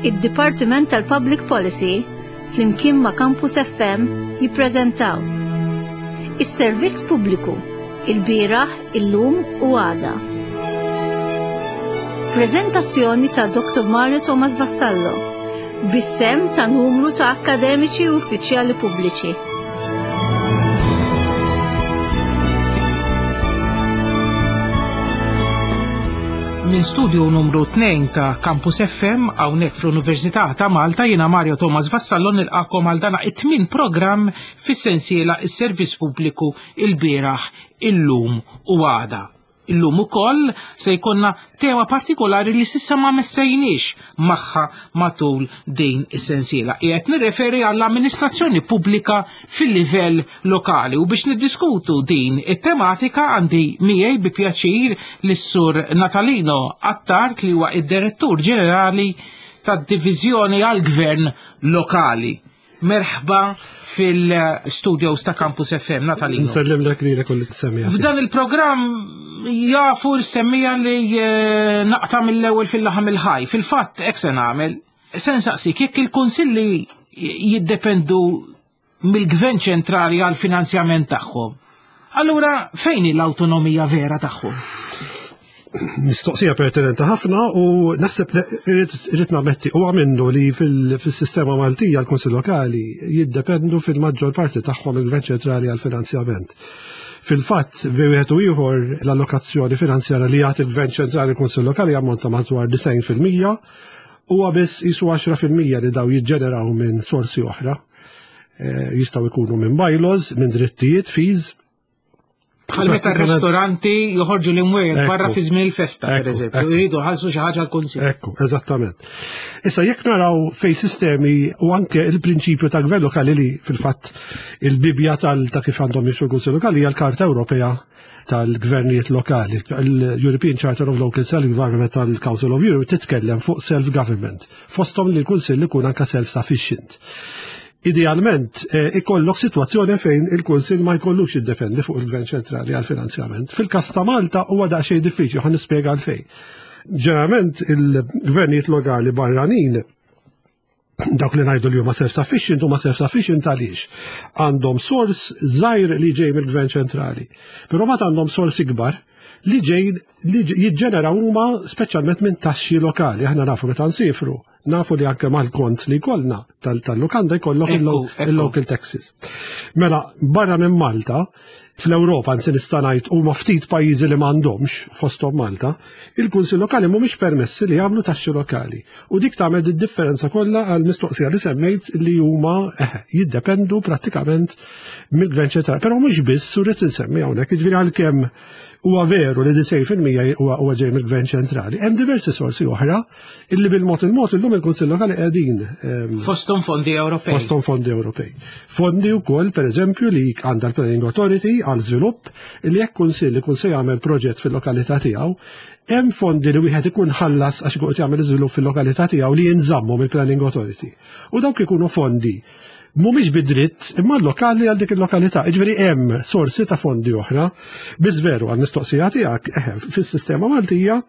Id-Dipartiment tal-Public Policy flimkien ma' Campus FM jippreżentaw Is-Servizz Pubbliku, il-bieraħ, illum u għada. Preżentazzjoni ta' Dr. Mario Thomas Vassallo, bis-sehem ta' numru ta' akkademiċi u uffiċjali pubbliċi. Minn studio numru 2 ta' Campus FM hawnhekk fl-Università ta' Malta jiena Mario Thomas Vassallo nilqakom għal dana it-tmien programm fis-sensiela is-Servizz Pubbliku il-bieraħ, illum u għada. Illum ukoll se jkollna tema partikolari li sissa ma messejniex magħha matul din is-sensiela. Qiegħed nirreferi għall-amministrazzjoni pubblika fil-livell lokali u biex niddiskutu din it-tematika għandi miegħi bi pjaċir lis-sur Natalino Attard li huwa id-Direttur Ġenerali tad-Diviżjoni għall-Gvern Lokali. Merħba fil-studios ta' Campus FM, Natalino. Nsellem dak li kolli t-semmija. F'dan il-programm jafu l-semmija li eh, naqta mill-ewwel fil-laħam il-ħaj. Fil-fatt, hekk se nagħmel, se nsaqsik jekk il-kunsilli jiddependu mill-gvern ċentrali għal finanzjament tagħhom. Allura fejn hi l-awtonomija vera tagħhom? Mistoqsija pertinenti ħafna u naħseb li irrid nammetti huwa minnu li fil-sistema Maltija l-Kunsill Lokali jiddependu fil-maġġor parti tagħhom il-Gvern Ċentrali għall-finanzjament. Fil-fatt, bi wieħed u ieħor l-allokazzjoni finanzjarja li jagħti l-Gvern Ċentrali l-Kunsill Lokali jammonta madwar 90% huwa biss jisu 10% li daw jiġġeneraw minn sorsi oħra. Eh, jistgħu jkunu minn bylaws, minn drittijiet, fees, Bħal meta r-ristoranti joħorġu l-imwejjed barra fi żmien il-festa, per eżempju, jridu ħassu xi ħaġa l-kunsill. Ekku, eżattament. Issa jekk naraw fej sistemi u anke il-prinċipju ta' gvern lokali li fil-fatt il-bibja tal ta' kif għandhom jimxu l-Kunsill Lokali hija l-Karta Ewropea tal-Gvernijiet Lokali, l-European Charter of Local Self-Government tal-Council of Europe titkellem fuq self-government, fosthom li l-Kunsill ikun anke self-sufficient. Idealment, eh, ikollok sitwazzjoni fejn il-Kunsill ma jkollux jiddependi fuq il-Gvern ċentrali għal finanzjament. Fil-każ ta' Malta huwa daqsxejn diffiċli, ħa nispjega għalfejn. Ġeneralment il-gvernijiet lokali barranin dawk li ngħidu li huma self-sufficient huma self-sufficient għaliex għandhom sors żgħir li ġej mill-gvern ċentrali. Però ma għandhom sors ikbar li ġej li jiġġeneraw huma speċjalment minn taxxi lokali. Aħna nafu meta nsifru Nafu li anke mal-kont li jkollna tal-lukanda jkollok il-local taxes. Mela, barra minn Malta, fl-Ewropa nsi nista' ngħid huma ftit pajjiżi li m'għandhomx fosthom Malta, il-kunsill lokali mhumiex permessi li jagħmlu taxxi lokali. U dik tagħmel id-differenza kollha għal mistoqsija li semmejt li huma eh, jiddependu prattikament mill-gvern ċentrali. Però mhux biss u rrid insemmi hawnhekk, jiġifieri għalkemm huwa veru li 90% huwa ġej mill-gvern ċentrali. Hemm diversi sorsi oħra illi bil-mod il-mod illum il-Kunsill Lokali qegħdin. Ehm, fosthom fondi Ewropej. Fosthom fondi Ewropej. Fondi wkoll pereżempju li għandha l-Planning Authority għal żvilupp li jekk kunsill ikun se jagħmel proġett fil-lokalità tiegħu, hemm fondi li wieħed ikun ħallas għax ikun qed jagħmel iżvilupp fil-lokalità tiegħu li jinżammu mill-Planning Authority. U dawk ikunu fondi mhumiex bid-dritt imma lokali għal dik il-lokalità. Jiġifieri hemm sorsi ta' fondi oħra. Biss veru għal mistoqsija tiegħek eh, fis-sistema Maltija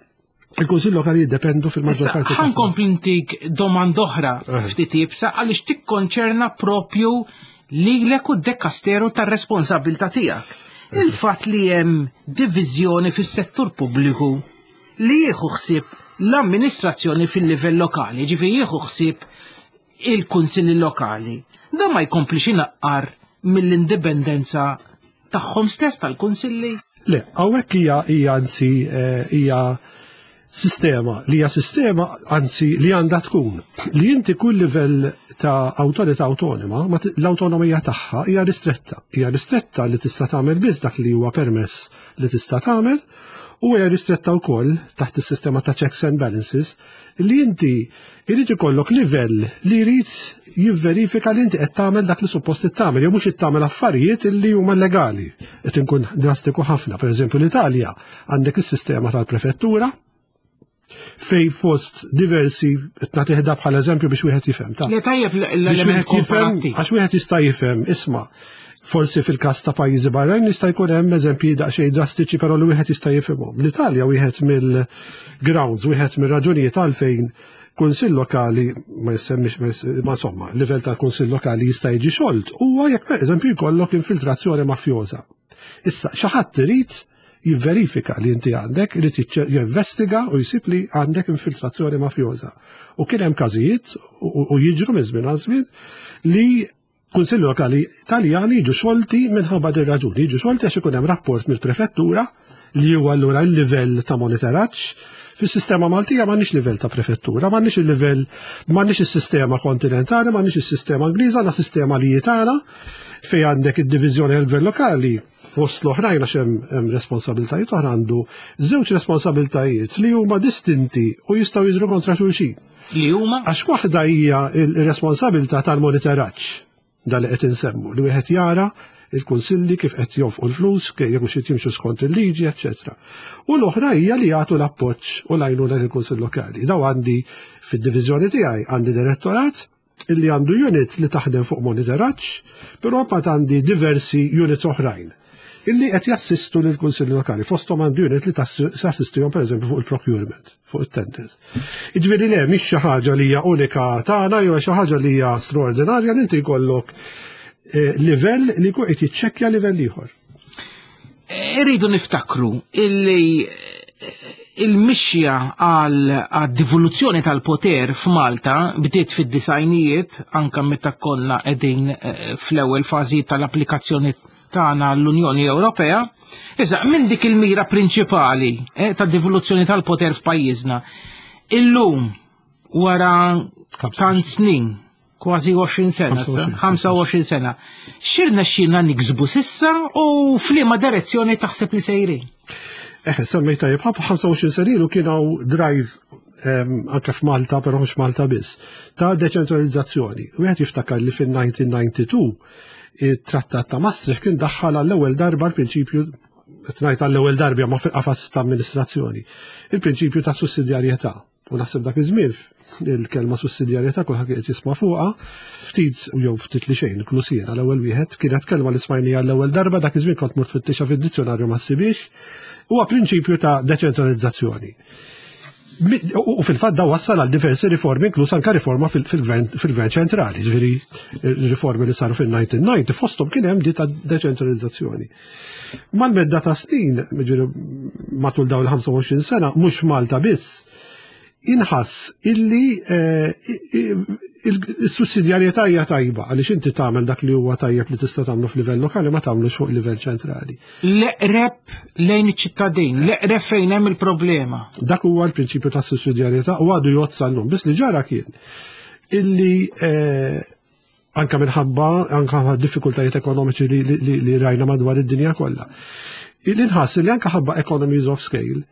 Il-Kunsill Lokali jiddependu fil-maġġor parti. Ħankompli ntik domanda oħra eh. ftit ibsa għaliex tikkonċerna propju lilek u d-dekasteru tar-responsabilità tiegħek. Eh. Il-fatt li hemm diviżjoni fis-settur pubbliku li jieħu ħsieb l-amministrazzjoni fil-livell lokali, ġifieri jieħu ħsieb il-kunsilli lokali. Dan ma jkomplix inaqqar mill-indipendenza tagħhom stess tal-kunsilli? Le, hawnhekk hija hija anzi eh, hija sistema li hija sistema anzi li għandha tkun li inti kull livell ta' awtorità awtonoma l-awtonomija tagħha hija ristretta. Hija ristretta li tista' tagħmel biss dak li huwa permess li tista' tagħmel u hija ristretta wkoll taħt is-sistema ta' checks and balances li inti jrid ikollok livell li jrid jivverifika li inti qed tagħmel dak li suppost tagħmel jew mhux qed tagħmel affarijiet li huma legali. Qed inkun drastiku ħafna, pereżempju l-Italja għandek is-sistema tal-prefettura fej fost diversi qed nagħtih bħala eżempju biex wieħed jifhem. Le tajjeb l-element komparattiv. Għax wieħed jista' jifhem, isma' Forsi fil-każ ta' pajjiżi barranin jista' jkun hemm eżempji daqsxejn drastiċi però li wieħed jista' jifhimhom. L-Italja wieħed mill-grounds, wieħed mir-raġunijiet għalfejn Kunsill lokali ma jissemmix ma insomma, livell ta' kunsill lokali jista' jiġi xolt huwa jekk pereżempju jkollok infiltrazzjoni mafjoża. Issa xi ħadd irid jivverifika li inti għandek, irid jinvestiga u jsib li għandek infiltrazzjoni mafjoża. U kien hemm każijiet u jiġru minn żmien għal żmien li Kunsilli lokali Taljani jiġu xolti minħabba din raġuni, jiġu xolti għax ikun hemm rapport mill-prefettura li huwa allura l-livell ta' monitoraġġ. Fis-sistema Maltija m'għandniex livell ta' prefettura, m'għandniex il-livell, m'għandniex is-sistema kontinentali, m'għandniex is-sistema Ingliża, għandna sistema li tagħna fejn għandek id-diviżjoni tal-gvern lokali fost l-oħrajn għax hemm responsabiltajiet oħra għandu żewġ responsabiltajiet li huma distinti u jistgħu jidhru kontra xulxin. Li huma? Għax waħda hija l-responsabilità tal-monitoraġġ dan li qed insemmu, li wieħed jara il-kunsilli kif qed jonfqu l-flus, jekk mhux qed jimxu skont il-liġi, eċċetera. U l-oħra hija li jagħtu l-appoġġ u l-għajnuna lill-kunsill lokali. Daw għandi fid-diviżjoni tiegħi għandi direttorat illi għandu unit li taħdem fuq monitoraġġ, però mbagħad għandi diversi units oħrajn illi qed jassistu lill kunsilli lokali. Fosthom għandu unit li tassistihom pereżempju fuq il-procurement, fuq it-tenders. Jiġifieri le mhix xi ħaġa li hija unika tagħna jew xi ħaġa li hija straordinarja li inti jkollok eh, livell li jkun qed jiċċekkja livell ieħor. Irridu niftakru illi eh, il-mixja għal divoluzzjoni tal-poter f'Malta bdiet fid-disajnijiet anka meta konna qegħdin eh, fl-ewwel fażi tal-applikazzjoni tagħna l-Unjoni Ewropea. Iżda minn dik il-mira prinċipali eh, tad divoluzzjoni tal-poter f'pajjiżna. Illum wara tant snin kważi 20 sena, 25 sena. Xirna xirna niksbu sissa u f'liema direzzjoni taħseb li sejrin? Eħe, semmejt tajjeb, 25 sena ilu kien hawn drive ehm, anke f'Malta, però mhux Malta biss, ta' deċentralizzazzjoni. Wieħed jiftakar li fin-1992 it-Trattat ta' Maastricht kien daħħal għall-ewwel darba l-prinċipju qed ngħid għall-ewwel darba ma fil-qafas ta' amministrazzjoni, il-prinċipju ta' sussidjarjetà. U naħseb dak iż-żmien il-kelma sussidjarjetà kulħadd qed jisma' fuqha, ftit u jew ftit li xejn, inkluż jiena l-ewwel wieħed, kienet kelma li smajnija l-ewwel darba dak iż-żmien kont mort fittixha fid-dizzjonarju ma ssibhiex. Huwa prinċipju ta' deċentralizzazzjoni. U fil-fatt da wassal għal diversi riformi, inkluż anka riforma fil-gvern ċentrali, ġifieri riformi li saru fil-1990, fosthom kien hemm di ta' deċentralizzazzjoni. Mal-medda ta' snin, ġifieri matul dawn il-25 sena, mhux Malta biss, inħass illi eh, il-sussidjarjetà hija tajba għaliex inti tagħmel dak li huwa tajjeb li tista' tagħmlu f'livell lokali ma tagħmlux fuq livell ċentrali. L-eqreb lejn iċ-ċittadin, l-eqreb fejn hemm il-problema. Dak huwa l-prinċipju ta' sussidjarjetà u għadu jgħod sal-lum. Biss li ġara kien illi eh, anka minħabba anka diffikultajiet ekonomiċi li, li, li rajna madwar id-dinja kollha. Illi nħass li anka ħabba economies of scale,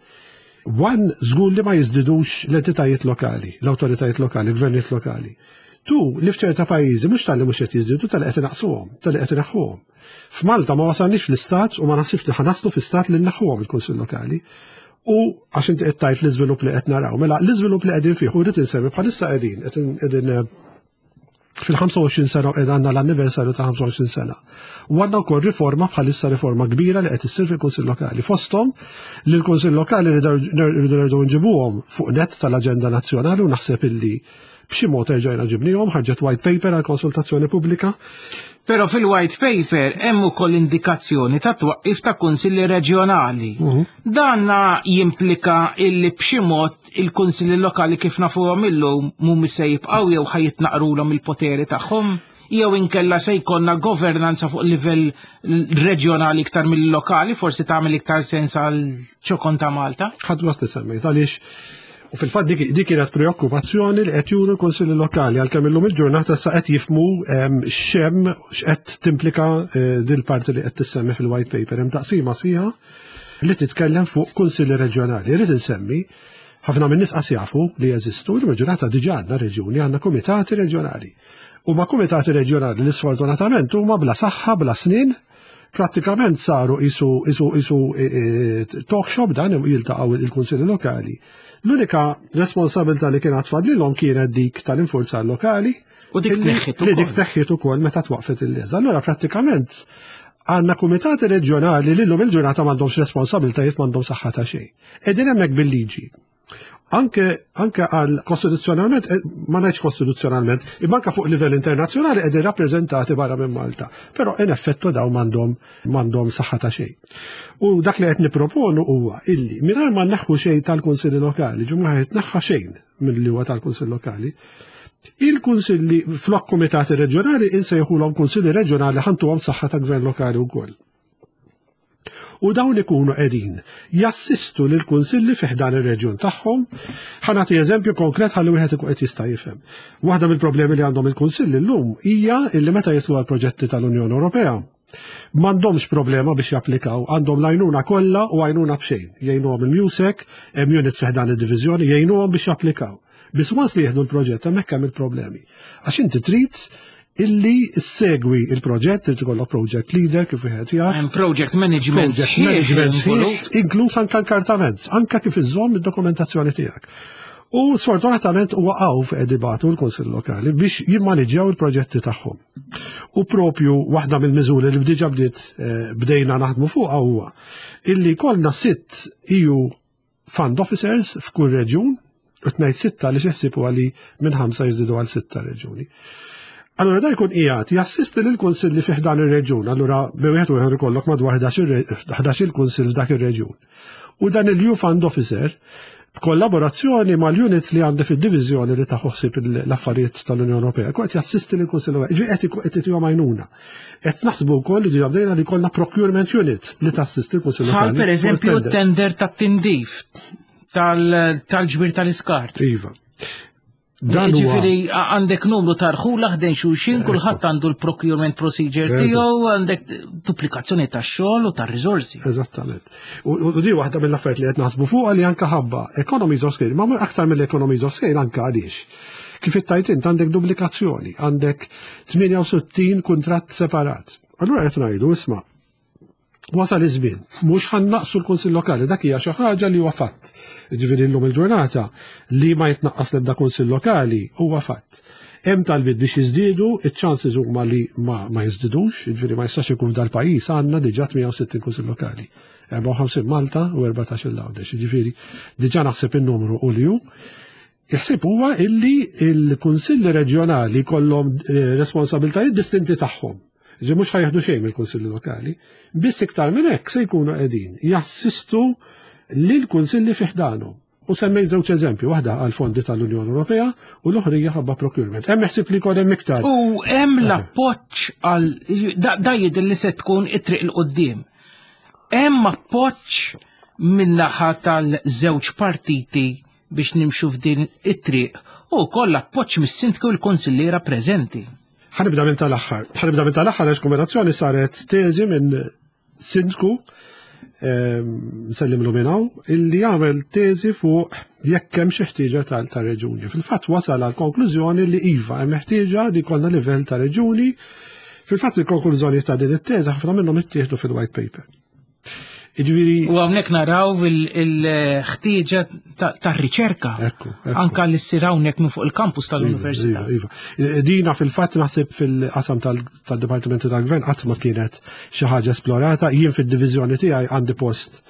one żgur li ma jiżdidux l-entitajiet lokali, l-awtoritajiet lokali, l-gvernijiet lokali. Tu, li f'ċerta pajjiżi mhux tal-li mhux qed jiżdiedu tal-li qed inaqsuhom, tal-li qed inaħħuhom. F'Malta ma wasalniex fl-istat u ma naħsibx li ħanaslu fl-istat li nneħħuhom il-Kunsill Lokali. U għax inti qed tgħid l-iżvilupp li qed naraw, mela l-iżvilupp li qegħdin fih u rrid insemmi bħalissa qegħdin qegħdin eh, fil-25 sena u għandna l-anniversarju ta' 25 sena. U għandna wkoll riforma bħalissa riforma kbira li qed issir fil-Kunsill Lokali. Fosthom li l-Kunsill Lokali rridu nerġgħu nġibuhom fuq net tal-aġenda nazzjonali u naħseb illi b'xi mod erġajna ġibnihom, ħarġet white paper għal konsultazzjoni pubblika. Però fil-white paper hemm ukoll indikazzjoni ta' twaqqif ta' kunsilli reġjonali. Mhm. Dan jimplika illi b'xi mod il-kunsilli lokali kif nafuhom illum mhumiex se jibqgħu jew ħa jitnaqrulhom il-poteri tagħhom jew inkella se jkollna governanza fuq livell reġjonali iktar mill-lokali, forsi tagħmel iktar sens għal ċokon ta' Malta. Ħadd gost li semmejt għaliex u fil-fatt dik kienet preokkupazzjoni li qed juru l-kunsilli lokali għalkemm illum il-ġurnata sa qed jifmu ehm, x'hemm x'qed timplika eh, dil-parti li qed tissemmi fil-white paper hemm taqsima sħiħa li titkellem fuq kunsilli reġjonali. Irrid insemmi ħafna minn nies qas jafu li jeżistu, il-maġġorata diġà għandna reġjuni, għandna kumitati reġjonali. Huma kumitati reġjonali li sfortunatament huma bla saħħa, bla snin, prattikament saru isu isu isu e, e, talk shop dan jiltaqgħu il-kunsilli lokali. L-unika responsabilità li kienet tfadlilhom kienet dik tal-infurzar lokali. U dik tneħħiet Li dik tneħħiet ukoll meta twaqfet il-leża. Allura prattikament għandna kumitati reġjonali li llum il-ġurnata m'għandhomx responsabiltajiet m'għandhom saħħa ta' xejn. Qegħdin hemmhekk bil-liġi. Anke anke għal kostituzzjonalment, eh, ma ngħidx kostituzzjonalment, imma anke fuq livell internazzjonali qegħdin rappreżentati barra minn Malta. Però in effettu daw m'għandhom m'għandhom saħħa ta' xejn. U dak li qed nipproponu huwa illi mingħajr ma nneħħu xejn tal-Kunsilli Lokali, ġimgħa ma jitneħħa xejn milli huwa tal-Kunsill Lokali, il-kunsilli flok komitati reġjonali insejħulhom kunsilli reġjonali ħantuhom saħħa ta' gvern lokali wkoll. U dawn ikunu qegħdin jassistu lil kunsilli fi ħdan ir-reġjun tagħhom. Ħa nagħti eżempju konkret ħalli wieħed ikun qed jista' jifhem. Waħda mill-problemi li għandhom il-kunsilli llum hija illi meta jitlu għal proġetti tal-Unjoni Ewropea m'għandhomx problema biex japplikaw, għandhom l-għajnuna kollha u għajnuna b'xejn. Jgħinuhom il-MUSEC, hemm unit fi ħdan id-diviżjoni, jgħinuhom biex japplikaw. Biss once li jieħdu l-proġett hemmhekk hemm il-problemi. Għax inti trid illi segwi il-proġett, trid ikollok project leader kif wieħed jaf. Hemm project management Project management sħiħ, inkluż anke l-kartament, anke kif iżżomm id-dokumentazzjoni tiegħek. U sfortunatament huwa hawn fejn ibatu l-Kunsill Lokali biex jimmaniġġjaw il-proġetti tagħhom. U propju waħda mill-miżuri li bdiġa bdiet eh, bdejna naħdmu fuqha huwa illi kollna sitt EU fund officers f'kull reġjun, u tnejt sitta li xeħsib huwa li minn ħamsa jiżdiedu għal sitta reġjuni. Allura da jkun qiegħed jassisti lil kunsilli fih dan ir-reġjun, allura bi wieħed u ieħor ikollok madwar 11 il-kunsill f'dak ir-reġjun. U dan il-EU Fund Officer b'kollaborazzjoni mal-units li għandi fid-diviżjoni li taħu ħsieb l-affarijiet tal-Unjoni Ewropea, qed jassisti lil kunsill Ewropew, qed qed itihom għajnuna. Qed naħsbu wkoll li diġà bdejna li jkollna procurement unit li tassisti l-Kunsill Bħal pereżempju t-tender tat-tindif tal-ġbir tal-iskart. Iva. Dan Ġifieri għandek numru ta' rħula ħdejn xulxin, kulħadd għandu l-procurement procedure tiegħu, għandek duplikazzjoni tax-xogħol u tar-riżorsi. Eżattament. U di waħda mill-affarijiet li qed naħsbu fuqha li anke ħabba economies of scale, ma aktar mill-economies of scale anke għaliex. Kif ittajt int għandek duplikazzjoni, għandek 68 kuntratt separat. Allura qed ngħidu isma' wasal iż-żmien, mhux ħannaqsu l-Kunsill Lokali, dak hija xi ħaġa li huwa fatt. Ġifieri llum il-ġurnata li ma jitnaqqas l-ebda Kunsill Lokali huwa fatt. Hemm talbiet biex jiżdiedu, iċ-chances huma li ma, ma jiżdidux, jiġifieri ma jistax ikun f'dal-pajjiż għandna diġà 68 Kunsill Lokali. 54 Malta u 14 l-Għawdex, jiġifieri diġà naħseb in-numru u li hu. Il-ħsieb huwa illi il-kunsilli reġjonali kollhom eh, responsabiltajiet distinti tagħhom. Ġi mhux ħajħdu xejn mill-kunsilli lokali, biss iktar minn hekk se jkunu qegħdin jassistu lill-kunsilli fi ħdanhom. U semmejt żewġ eżempju, waħda għal fondi tal-Unjoni Ewropea u l-oħra hija ħabba procurement. Hemm ħsieb li jkun hemm iktar. U hemm l-appoġġ għal da jidher li se tkun it-triq il qudiem Hemm appoġġ min-naħa tal-żewġ partiti biex nimxu f'din it-triq u wkoll appoġġ mis-sindku u l-kunsilliera preżenti. Ħanibda minn tal-aħħar. Ħanibda minn tal-aħħar għax kombinazzjoni saret teżi minn sindku ehm, nsellimlu minn hawn illi għamel teżi fuq jekk hemm xi ħtieġa tal-reġuni. Fil-fatt wasal għal konklużjoni li iva hemm ħtieġa li jkollna livell ta' reġuni. Fil-fatt il-konklużjoni ta' din it-teżi ħafna minnhom ittieħdu fil-white paper. Jiġifieri U hawnhekk naraw il-ħtieġa tar-riċerka. Anka li ssir hawnhekk minn fuq il-kampus iva, tal-università. Iva, iva. Dina fil-fatt naħseb fil-qasam tal-Dipartimenti tal-Gvern qatt ma kienet xi ħaġa esplorata. Jien fid-diviżjoni tiegħi għandi post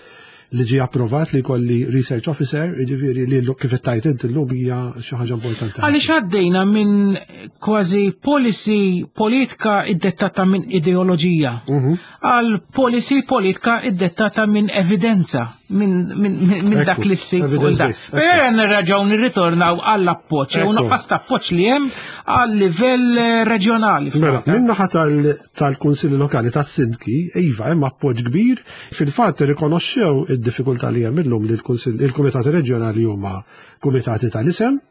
li ġie approvat li kolli research officer, jiġifieri li kif ittajt inti llum hija xi ħaġa importanti. Għaliex għaddejna minn kważi policy politika iddettata minn ideoloġija mhm. Għal policy politika iddettata minn evidenza, minn dak li ssib fuq dak. Però nirraġgħu nirritornaw għall appoġġ u nuqqas ta' appoġġ li hemm għal livell eh, reġjonali. Mela, minn naħa tal-Kunsilli Lokali tas-Sindki, iva hemm appoġġ kbir, fil-fatt irrikonoxxew id-diffikultà li hemm illum li l-Kumitati Reġjonali huma kumitati tal-isem,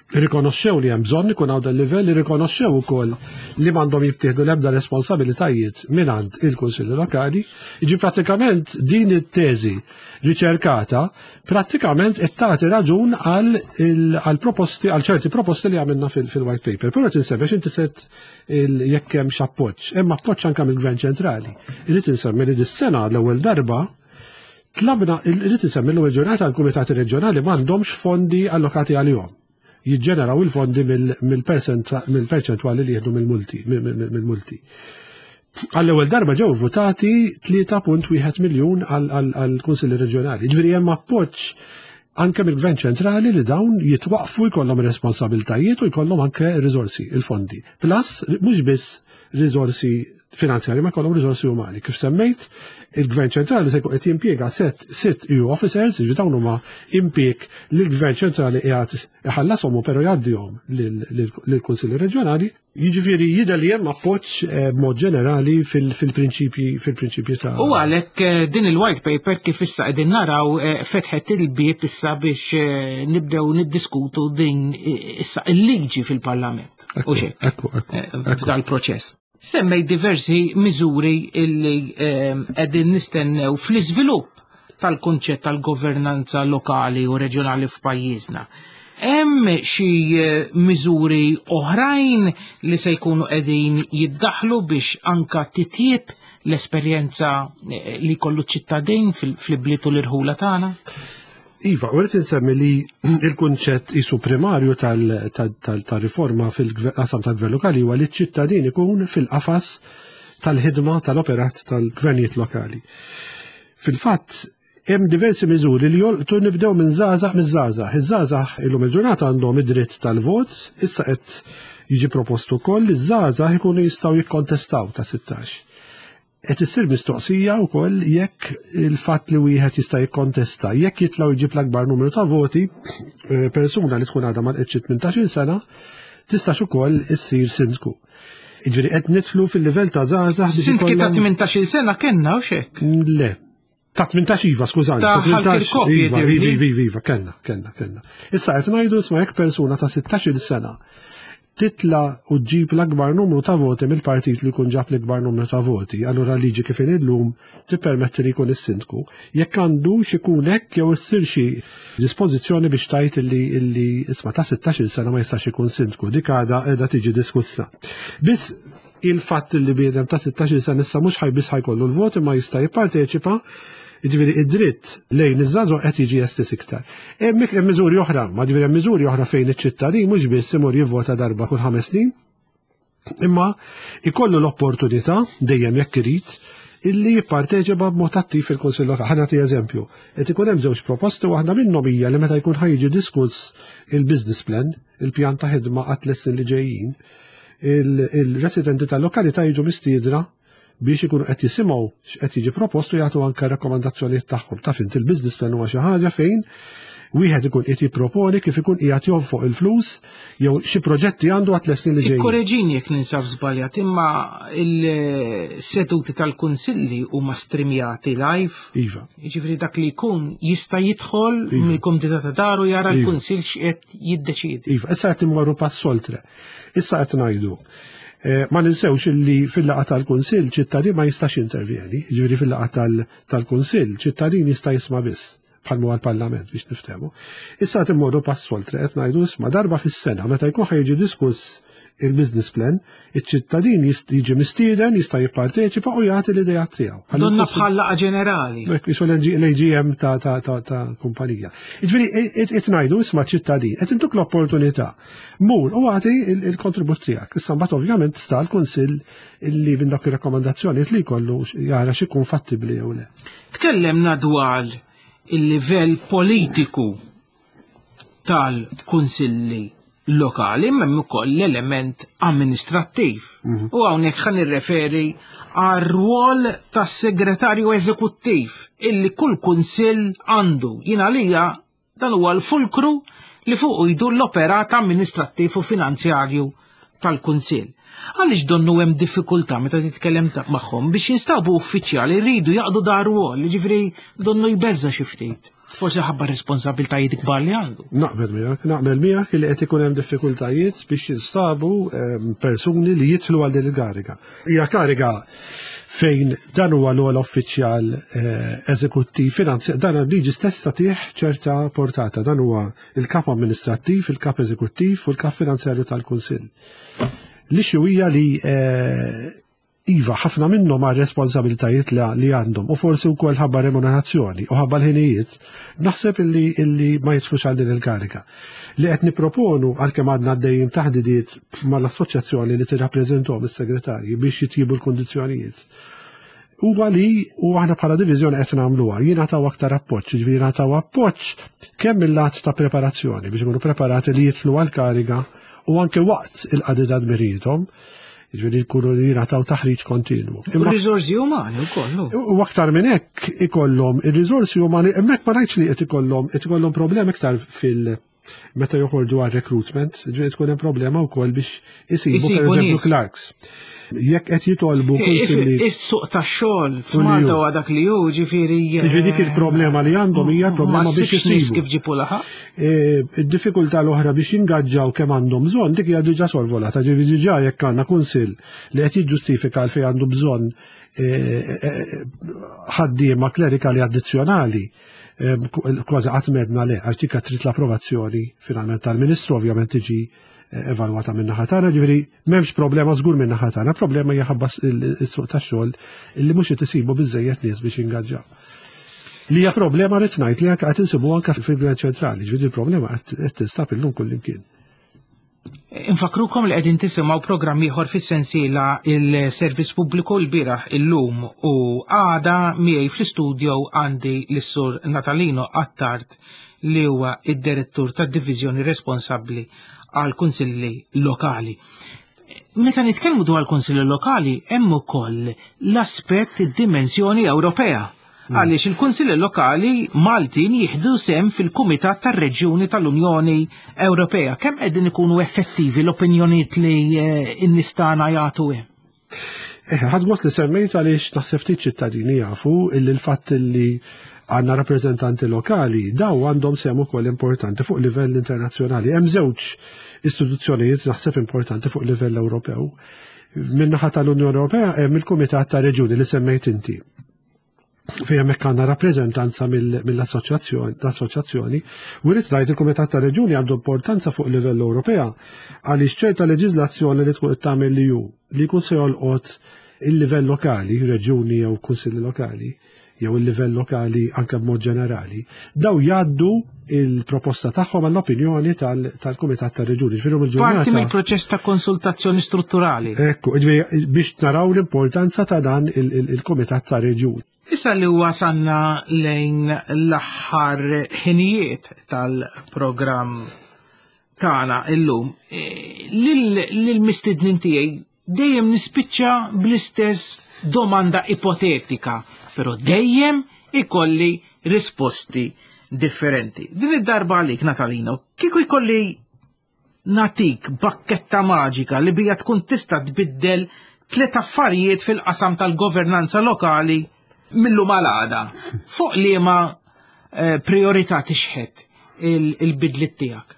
Irrikonoxxew li hemm bżonn ikun hawn dal-livell, irrikonoxxew ukoll li m'għandhom jittieħdu l-ebda responsabilitajiet mingħand il-Kunsilli Lokali. Jiġi prattikament din it-teżi riċerkata prattikament qed tagħti raġun għal proposti għal ċerti proposti li għamilna fil-white paper. Però qed insemmi inti set jekk hemm appoġġ. Hemm appoġġ anke mill-Gvern Ċentrali. Irrid insemmi li dis-sena l-ewwel darba Tlabna, irrid insemmi l-ewwel ġurnata l-kumitati reġjonali m'għandhomx fondi allokati għalihom. Jiġġeneraw il-fondi mill-perċentwali li jieħdu mill-multi. Mill-multi. Għall-ewwel darba ġew votati 3.1 miljun għall-Kunsilli Reġjonali. Ġifieri hemm appoġġ anke mill-Gvern ċentrali li dawn jitwaqfu jkollhom responsabiltajiet u jkollhom anke riżorsi, il-fondi. Plus, mhux biss riżorsi finanzjari ma jkollhom riżorsi umani. Kif semmejt, il-Gvern ċentrali se jkun qed jimpjega set sitt EU officers, jiġu dawn huma impjieg li l-Gvern ċentrali qiegħed iħallashom u però jgħaddihom lill-Kunsilli Reġjonali. Jiġifieri jidher li hemm appoġġ eh, b'mod ġenerali fil-prinċipji fil-prinċipji ta' U għalhekk eh, din il-white paper kif issa qegħdin naraw eh, fetħet il-bieb issa biex nibdew niddiskutu din issa il-liġi fil-Parlament. U xek. Ekku, ekku. F'dal proċess. Semmej diversi miżuri illi qegħdin nistennew fl-iżvilupp tal-kunċett tal-governanza lokali u reġjonali f'pajjiżna. Hemm xi eh, miżuri oħrajn li se jkunu qegħdin jiddaħlu biex anka titjib l-esperjenza eh, li kollu ċittadin fil-bliet u l-irħula tagħna? Iva, u rrid insemmi li il-kunċett isu primarju tal-riforma fil-qasam tal-gvern lokali huwa li ċ-ċittadin ikun fil-qafas tal-ħidma tal-operat tal-gvernijiet lokali. Fil-fatt, hemm diversi miżuri li jolqtu nibdew minn żgħażagħ miż-żgħażagħ. Iż-żgħażagħ illum il-ġurnata għandhom id-dritt tal-vot, issa qed jiġi propostu wkoll li ż-żgħażagħ ikunu jistgħu jikkontestaw ta' 16. Qed issir mistoqsija wkoll jekk il-fatt li wieħed jista' jikkontesta, jekk jitlgħu jġib l-akbar numru ta' voti, eh, persuna li tkun għadha ma 18 sena tistax ukoll issir sindku. Jiġifieri qed nidħlu fil-livell ta' żgħażagħ. Sindki ta' 18-il sena kellna u xek? Le. Ta' 18 iva, skużani. Ta' 18 iva, iva, iva, iva, kellna, kellna, kellna. Issa qed ngħidu isma' jekk persuna ta' 16-il sena titla u ġġib l-akbar numru ta' voti mill-partit li jkun ġab l-ikbar numru ta' voti, allura liġi kif illum tippermetti li jkun is-sindku. Jekk għandux ikun hekk jew issir xi dispożizzjoni biex tajt illi illi isma' ta' 16-il sena ma jistax ikun sindku, dik għadha qiegħda tiġi diskussa. Biss il-fatt li bniedem ta' 16-il sena issa mhux ħajbiss ħajkollu l-vot imma jista' jipparteċipa, jiġifieri id-dritt lejn iż-żagħżugħ qed jiġi estis iktar. Hemm hemm miżuri oħra, ma ġifieri hemm miżuri oħra fejn iċ-ċittadin mhux biss imur jivvota darba kull ħames snin, imma ikollu l-opportunità dejjem jekk irid illi jipparteċipa b'mod attiv fil-Kunsill Lokali. Ħa nagħti eżempju. Qed ikun hemm żewġ proposti waħda minnhom hija li meta jkun ħajġi diskuss il-business plan, il-pjan ta' ħidma għat snin li ġejjin, il-residenti tal-lokalità jiġu mistiedra biex ikunu qed jisimgħu x'qed jiġi propost u jagħtu anke rakkomandazzjonijiet tagħhom. Taf int il-business plan huwa xi ħaġa fejn wieħed ikun qed jipproponi kif ikun qiegħed jonfoq il-flus jew xi proġetti għandu għat snin li ġejjin. Korreġini jekk ninsab żbaljat, imma il-seduti tal-kunsilli huma streamjati live. Iva. Jiġifieri dak li jkun jista' jidħol iva. mill-kumdità ta' daru jara iva. l-kunsill x'qed jiddeċiedi. Iva, issa qed immorru pass oltre. Issa qed ngħidu. Eh, ma ninsewx illi fil-laqgħa tal-Kunsill ċittadin ma jistax intervjeni, jiġifieri fil-laqgħa tal-Kunsill ċittadin jista' jisma' biss bħal huwa l-Parlament biex niftehmu. Issa qed immorru pass oltre qed ngħidu isma' darba fis-sena meta jkun ħajġi diskuss il-business plan, iċ-ċittadin jiġi mistieden, jista' jipparteċipa u jagħti l-idea tiegħu. Donna bħal laqgħa ġenerali. Jisu l-AGM ta' kumpanija. Jiġifieri qed ngħidu isma' ċittadin, qed intuk l-opportunità. Mur u għati il-kontribut tiegħek. Issa mbagħad ovvjament sta l-Kunsill illi minn dak ir-rakkomandazzjonijiet li jkollu jara x'ikun fattibbli jew le. Tkellemna dwar il-livell politiku tal-kunsilli lokali imma hemm ukoll l-element amministrattiv. Mhm. U hawnhekk ħa nirreferi għar-rwol tas-segretarju eżekuttiv illi kull kunsill għandu. Jien għalija Dan huwa l-fulkru li fuqu jdur l-operat amministrattiv u finanzjarju tal-Kunsill. Għaliex donnu hemm diffikultà meta titkellem magħhom biex jinstabu uffiċjali jridu jaqdu dar rwol, jiġifieri donnu jbeżża' xi ftit. Forsi ħabba responsabiltajiet kbar li għandu. Naqbel miegħek, naqbel miegħek li qed ikun hemm diffikultajiet biex jinstabu ehm, persuni li jidħlu għal din il-kariga. Hija kariga fejn dan huwa l-ogħla uffiċjal eh, eżekuttiv finanzjar, dan liġi stess tagħtih ċerta portata, dan huwa il-kap amministrattiv, il-kap eżekuttiv u l-kap finanzjarju tal-Kunsill. L-issue hija li eh, iva ħafna minnhom għal responsabiltajiet li għandhom u forsi wkoll ħabba remunerazzjoni u ħabba l-ħinijiet, naħseb illi, illi ma jidħlux għal din il-kariga. Li qed niproponu għalkemm għadna għaddejjin taħdidiet mal-assoċjazzjoni li tirrappreżentahom is-segretarji biex jitjibu l-kundizzjonijiet. huwa li u aħna bħala diviżjoni qed nagħmluha, jingħataw aktar appoġġ, jiġifieri jingħataw appoġġ kemm mill-lat ta' preparazzjoni biex ikunu preparati li jidħlu għall-kariga u anke waqt il-qadi ta' dmirijiethom, jiġifieri jkunu jingħataw taħriġ kontinwu. Imma riżorsi umani wkoll. U aktar minn hekk ikollhom ir-riżorsi umani, hemmhekk ma ngħidx li qed ikollhom qed ikollhom problemi iktar fil- meta joħorġu għal recruitment, ġifieri tkun hemm problema wkoll biex isibu pereżempju clerks. Jekk qed jitolbu kunsilli. Is-suq tax-xogħol f'Malta huwa dak li hu, ġifieri. Ġifieri dik il-problema li għandhom hija problema biex isibu. Kif ġipu laħaq? E, id-diffikultà l-oħra biex jingaġġaw kemm għandhom bżonn dik hija diġà sorvolata, ġifieri diġà jekk għandna kunsill li qed jiġġustifika għalfejn għandu bżonn e, e, ħaddiema klerikali addizzjonali kważi qatt medna le, għax dik trid l-approvazzjoni finalment tal-Ministru ovvjament tiġi eh, evalwata minn naħa tagħna, ġifieri m'hemmx problema żgur minn naħa tagħna, problema hija ħabba s-suq tax-xogħol illi mhux qed isibu biżejjed nies biex jingaġġaw. Li hija problema rrid ngħid li anke qed insibu anke fil-Gvern ċentrali, ġifieri il-problema qed tinstab illum kullimkien. Infakrukom li qegħdin tisimgħu programm ieħor fis-sensiela il-Servizz Pubbliku l-bieraħ illum u għada miegħi fl-istudio għandi lis-Sur Natalino Attard li huwa id-direttur tad-diviżjoni responsabbli għal kunsilli lokali. Meta nitkellmu dwar kunsilli lokali hemm ukoll l-aspett id-dimensjoni Ewropea. Għaliex il-Kunsilli Lokali Maltin jieħdu sem fil-Kumitat tar-Reġjuni tal-Unjoni Ewropea. Kemm qegħdin ikunu effettivi l-opinjonijiet li eh, n-nies tagħna jagħtu hemm? Eh, ħadd gost li semmejt għaliex naħseb ftit ċittadini jafu illi l-fatt li għandna rappreżentanti lokali daw għandhom sem ukoll importanti fuq livell internazzjonali. Hemm żewġ istituzzjonijiet naħseb importanti fuq livell Ewropew. Min-naħa tal-Unjoni Ewropea hemm il-Kumitat ta' Reġjuni li semmejt inti fejn hemmhekk għandna rappreżentanza mill-assoċjazzjoni, u rrid ngħid il-Kumitat ta' Reġuni għandu importanza fuq livell Ewropea għaliex ċerta leġiżlazzjoni li tkun qed tagħmel li hu li jkun se jolqot il-livell lokali, reġuni jew kunsilli lokali, jew il-livell lokali anke b'mod ġenerali, daw jgħaddu il-proposta tagħhom għall-opinjoni tal-Kumitat tar-Reġuni. Ġifieri il-ġurnata. Parti mill-proċess ta' konsultazzjoni strutturali. Ekku, ġifieri biex naraw l-importanza ta' dan il-Kumitat tar-Reġuni. Issa li wasanna lejn l-aħħar ħinijiet tal-programm tagħna illum, eh, lill-mistednin tiegħi dejjem nispiċċa bl-istess domanda ipotetika, però dejjem ikolli risposti differenti. Din id-darba għalik, Natalino, kieku jkolli natik bakketta maġika li bija tkun tista' tbiddel tliet affarijiet fil-qasam tal-governanza lokali millu malada. Fuq liema eh, priorità tixħet il-bidliet tiegħek?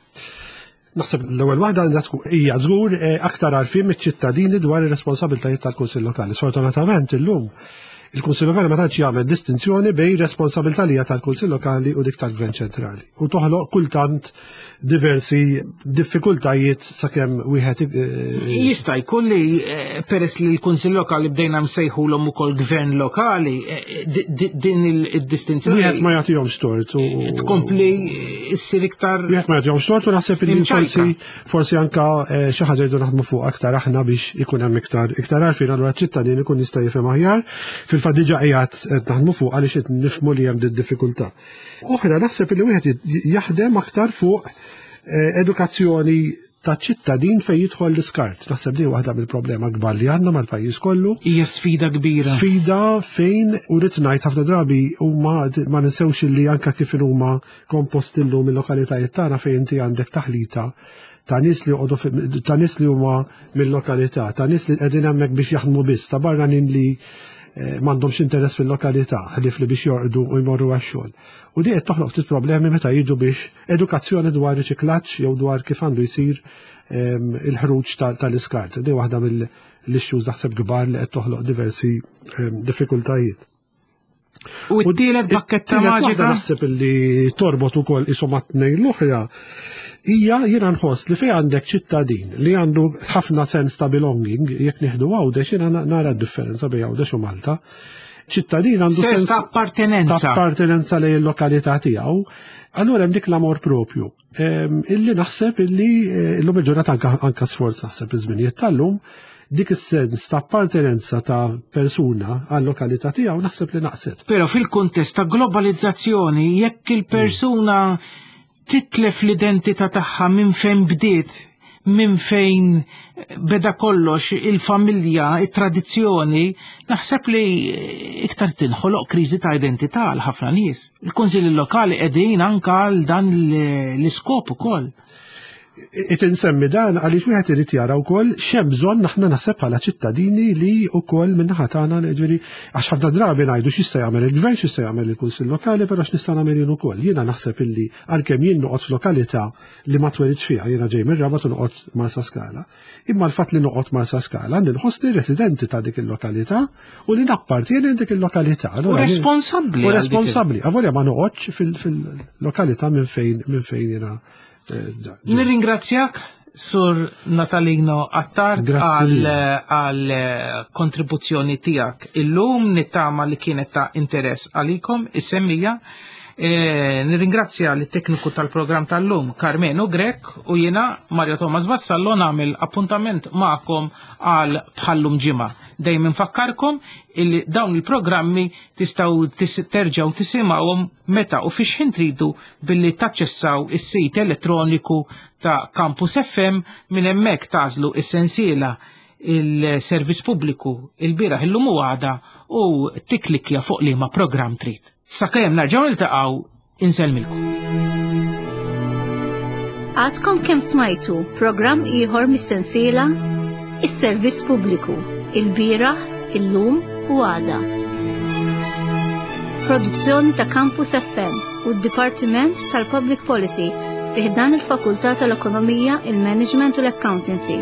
Naħseb l-ewwel waħda għandha tkun hija żgur eh, aktar għarfien miċ-ċittadini dwar ir-responsabbiltajiet tal-Kunsill Lokali. Sfortunatament illum il-Kunsill Lokali ma tantx jagħmel distinzjoni bejn responsabilità li hija tal-Kunsill Lokali u dik tal-Gvern Ċentrali. U toħloq kultant diversi diffikultajiet sakemm wieħed eh, Jista' jkun li eh, peress li l-Kunsill Lokali bdejna msejħulhom ukoll Gvern Lokali, din id-distinzjoni. Wieħed ma jagħtihomx tort u tkompli issir iktar. Wieħed ma jagħtihomx tort u naħseb li forsi forsi anka eh, xi ħaġa jridu naħdmu fuq aktar aħna biex ikun hemm iktar iktar għarfien allura ċittadin ikun jista' jifhem aħjar. Fil-fatt diġà qiegħed naħdmu fuq għaliex qed nifhmu li hemm din diffikultà. Oħra naħseb li wieħed jaħdem aktar fuq eh, edukazzjoni ta' ċittadin fejn jidħol l-iskart. Naħseb li waħda mill-problema kbar li għandna mal-pajjiż kollu. Hija sfida kbira. Sfida fejn u rrid ngħid ħafna drabi huma ma ninsewx li anke kif huma komposti llum il-lokalitajiet tagħna fejn inti għandek taħlita ta' nies li joqogħdu ta' nies li huma mill-lokalità, ta' nies li qegħdin hemmhekk biex jaħdmu biss, ta' barranin li eh, m'għandhomx interess fil-lokalità, ħlief li biex jorqdu u jmorru għax-xogħol. U di qed toħloq ftit problemi meta jiġu biex edukazzjoni dwar riċiklaġġ jew dwar kif għandu jsir ehm, il-ħruġ tal-iskart. Di waħda mill-issues naħseb kbar li qed toħloq diversi ehm, diffikultajiet. U t-tielet bakketta maġika? Naħseb li torbot ukoll isom tnejn l-oħra hija jiena nħoss li fejn għandek ċittadin li għandu ħafna sens ta' belonging, jekk nieħdu Għawdex jiena nara d-differenza bejn Għawdex u Malta. ċittadin għandu sens ta' appartenenza. Ta' appartenenza lejn il-lokalità tiegħu. Allura hemm dik l-amor propju. Illi naħseb illi eh, illum il-ġurnata anka sforz naħseb iż-żminijiet tal-lum dik is-sens ta' appartenenza ta' persuna għal lokalità tiegħu naħseb li naqset. Però fil-kuntest ta' globalizzazzjoni jekk il-persuna titlef l-identità tagħha minn fejn bdiet, minn fejn beda kollox il-familja, it-tradizzjoni, naħseb li iktar tinħoloq kriżi ta' identità għal ħafna nies. Il-kunsilli lokali qegħdin anka għal dan l-iskop ukoll. It insemmi dan għaliex wieħed irid jara wkoll x'hemm bżonn aħna naħseb bħala ċittadini li wkoll min-naħa tagħna ġifieri għax ħafna drabi ngħidu x'jista' jagħmel il-gvern, x'jista' jagħmel il-Kunsill Lokali, però x'nista' nagħmel jien ukoll. Jiena naħseb illi għalkemm jien noqgħod f'lokalità li ma twelidx fiha, jiena ġej mir-Rabat u noqgħod Marsaskala. Imma l-fatt li noqgħod Marsaskala nħossni residenti ta' dik il-lokalità u li nappartieni dik il-lokalità. U responsabbli. U responsabbli. Avolja ma noqgħodx fil-lokalità minn fejn minn fejn jiena eh, Nirringrazzjak Sur Natalino Attard għal eh, kontribuzzjoni tijak illum nittama li kienet ta' interess għalikom is-semmija. E, nirringrazzja l tekniku tal-programm tal-lum Carmenu Grek u jiena Mario Thomas Vassallo nagħmel appuntament magħkom għal bħallum ġimgħa. Dejjem infakkarkom illi dawn il-programmi tistgħu terġgħu tisimgħuhom meta u fiex ħin tridu billi taċċessaw is-sit elettroniku ta' Campus FM minn hemmhekk tażlu is-sensiela il-servizz pubbliku il-bieraħ illum u għada u tiklikja fuq liema programm trid. Sakemm nerġgħu niltaqgħu insellmilkom. Għadkom kemm smajtu programm ieħor mis-sensiela Is-Servizz Pubbliku, il-bieraħ, illum u għada. Produzzjoni ta' Campus FM u d-Dipartiment tal-Public Policy fi ħdan il-Fakultà tal-Ekonomija, il-Management u l-Accountancy.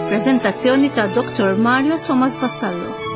Prezentazzjoni ta' Dr. Mario Thomas Vassallo.